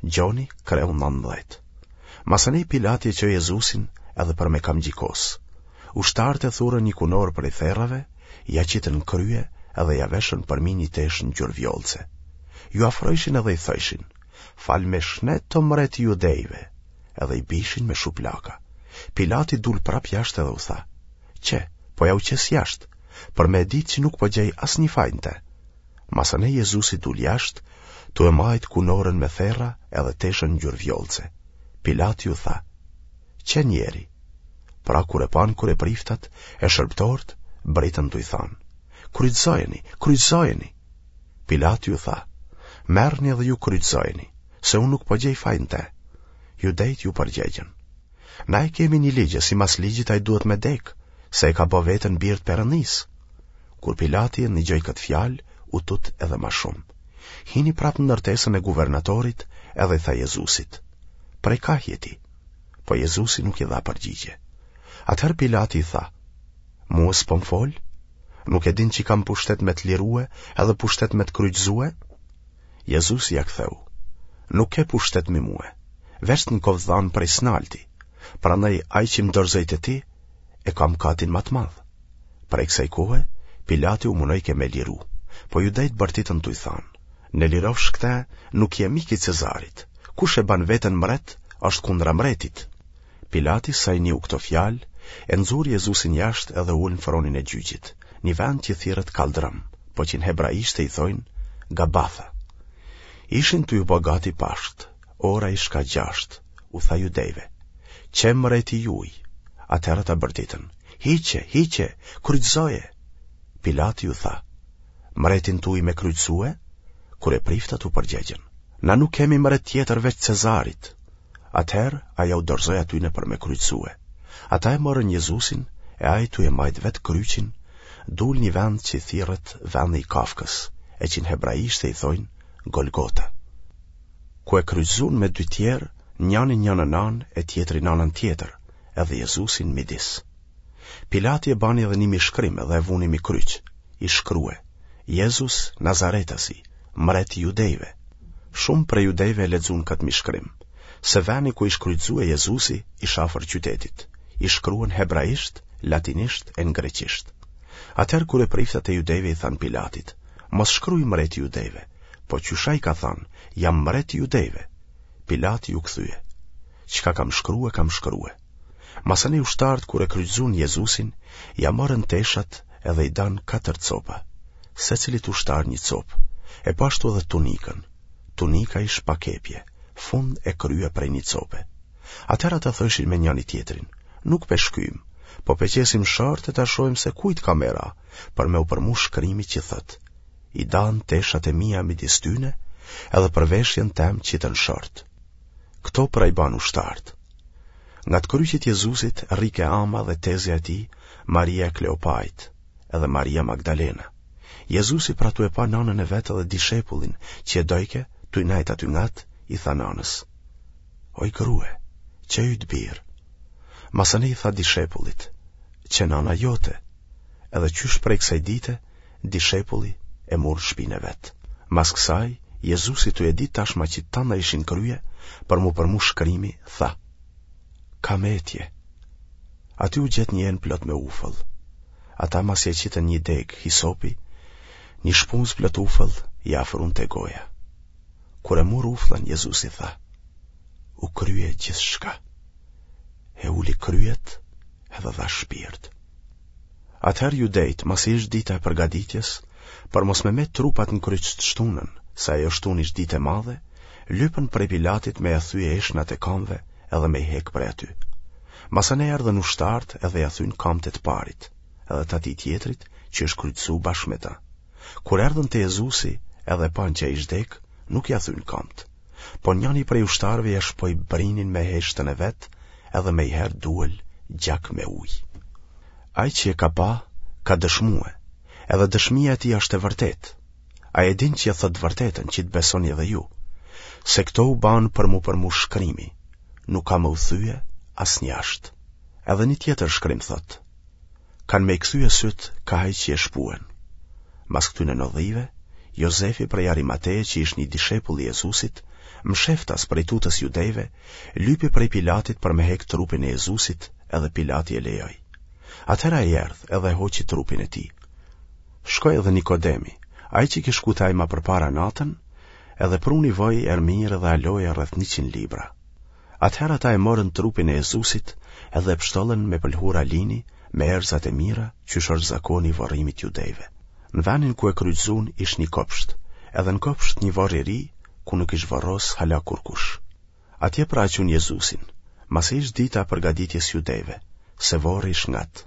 Gjoni, kreu 19. Masanej Pilati e çoi Jezusin edhe për me kamxhikos. Ushtarët e thurën një kunorë prej therrave, ia qitën në krye edhe ia veshën përmi një teshë ngjyrë vjollce. Iu afrojshin edhe i thojshin, fal me shnet o mret i judejve, edhe i bishin me shuplaka. Pilati dul prap jashtë edhe u tha, qe, po jau qes jashtë, për me e ditë që nuk po gjej asnjë faj në te. Masanej Jezusi dul jashtë, tu e majtë kunorën me therra edhe teshën ngjyrë vjollce. Pilati u tha, qe njeri. Pra kur e panë kryepriftat e shërbëtorët, britën tuj thanë, kryqëzojeni, kryqëzojeni. Pilati u tha, merrni edhe ju kryqëzojeni, se unë nuk po gjej faj në te. Judejtë iu përgjegjën. Na e kemi një ligj e simas ligjit ai duhet me dekë, se e ka bo veten bir të Perëndisë. Kur Pilati e nigjoi këtë fjalë, u tut edhe ma shumë. Hini prapë në ndërtesën e guvernatorit edhe i tha Jezusit, Prej kah je ti? Po Jezusi nuk i dha përgjigje. Atëherë Pilati i tha, Mue s'po më fol? Nuk e din që kam pushtet me të lirue edhe pushtet me të kryqëzue? Jezusi ia ktheu, Nuk ke pushtet mi mue, veç të m'koftë dhanë prej s'nalti, prandaj ai që më dorëzoi te ti, e ka mëkatin ma të madh. Prej kësaj kohe, Pilati u munojke me liru, po judejtë bërtitën tuj thanë, në lirofsh këte, nuk je mik i Cezarit, kush e ban veten mret, është kundra mretit. Pilati sa i niu këto fjalë, e nxuri Jezusin jashtë edhe u ul në fronin e gjyqit, një vend që thirret Kalldrëm, po që në hebraishte i thojnë Gabatha. Ishin tuj u ba gati Pashkët, ora ish ka gjashtë, u tha judejve, qe mreti juj, atëherë ata bërtitën, hiqe, hiqe, kryqëzoje. Pilati u tha, mretin tuj me kryqëzue? Kryepriftat u përgjegjën, na nuk kemi mret tjetër veç Cezarit. Atëherë ai jau dorëzoi atyne për me kryqëzue. Ata e morën Jezusin e ai tuj e majtë vetë kryqin, dul një vend që thirret vendi i kafkës, e që në hebraishte i thojnë Golgota. Ku e kryqëzun me dy tjerë, njanin njënën anë e tjetrin anën tjetër, edhe Jezusin midis. Pilati e bani edhe një mishkrim edhe e vuni mi kryq, ish shkrue, Jezus Nazaretasi, mret i judejve. Shumë prej judejve e lexun këtë mishkrim, se veni ku ish kryqëzue Jezusi ish afër qytetit, ish shkrue në hebraisht, latinisht e në greqisht. Atëherë kryepriftat e judejve i thanë Pilatit, mos shkruj mreti i judejve, po qysh ai ka thanë, jam mret i judejve. Pilati iu kthye. Çka kam shkrue, kam shkrue. Masanej ushtarët kur e kryqëzun Jezusin, ia morën teshat edhe i danë katër copa, secilit ushtar një copë, e po ashtu edhe tunikën. Tunika ish pa kepje, fund e krye prej një cope. Atëherë ata thojshin me njani-tjetrin, nuk pe shkyjmë, po pe qesim short e ta shohim se kujt ka me ra, për me u përmush shkrimi që thotë, i danë teshat e mia midis tyne, edhe për veshjen tem qitën short. Këto pra i banë ushtarët. Ngat kryqit Jezusit rrike ama dhe tezja e tij, Maria e Kleopait, edhe Maria Magdalena. Jezusi pra tu e pa nanën e vet edhe dishepullin që e dojke, tuj nejt aty ngat, i tha nanës. Oj grue, qe yt bir. Masanej i tha dishepullit, qe nana jote, edhe qysh prej kësaj dite, dishepulli e mur në shpinë e vet. Mas kësaj, Jezusi tu e ditë tashma që tana ishin krye, për m'u përmush shkrimi, tha, Kam etje. Aty u gjet një enë plot me ufull. Ata masi e qitën një degë hisopi, një shpuzë plot ufull, ia afrun te goja. Kur e mur ufullën, Jezusi tha, u krye gjithçka. E uli kryet edhe dha shpirt. Atëherë judejtë, masi ish dita e përgatitjes, për mos me met trupat në kryq të shtunën, se ajo shtunë ish ditë e madhe, lypën prej Pilatit me ia thye eshtnat e kamve edhe me i hek prej aty. Masanej erdhën ushtarët edhe ia thyn kamët e të parit, edhe të atij tjetrit që ish kryqëzu bashkë me ta. Kur erdhën te Jezusi edhe e panë që ish dek, nuk ia thyn kamët. Po njani prej ushtarëve ia shpoi brinin me heshtën e vet, edhe menjëherë duel gjak me ujë. Ai që e ka pa, ka dëshmue, edhe dëshmia e tij është e vërtetë. Ai e din që e thotë të vërtetën, që të besoni edhe ju, se këto u banë për m'u përmush shkrimi, nuk ka me u thye asnjë asht. Edhe një tjetër shkrim thotë, kanë me i kthye sytë kah ai që e shpuen. Mas këtyne ndodhive, Jozefi prej Arimateje që ish një dishepull i Jezusit, Msheftas prej tutës judejve, lypi prej Pilatit për me hek trupin e Jezusit edhe Pilati e lejoi. Atëherë ai erdh edhe e hoqi trupin e tij. Shkoi edhe Nikodemi, ai që kish shku te ai ma përpara natën, edhe pruni vaj erëmirë edhe aloje rreth 100 libra. Atëherë ata e morën trupin e Jezusit edhe e pështollën me pëlhura lini, me erëzat e mira, qysh është zakoni i vorrimit judejve. Në venin ku e kryqëzun ish një kopsht, edhe në kopsht një vorr i ri, ku nuk ish vorros hala kurkush. Atje pra e çunë Jezusin, masi ish dita e përgatitjes judejve, se vorri ish ngat.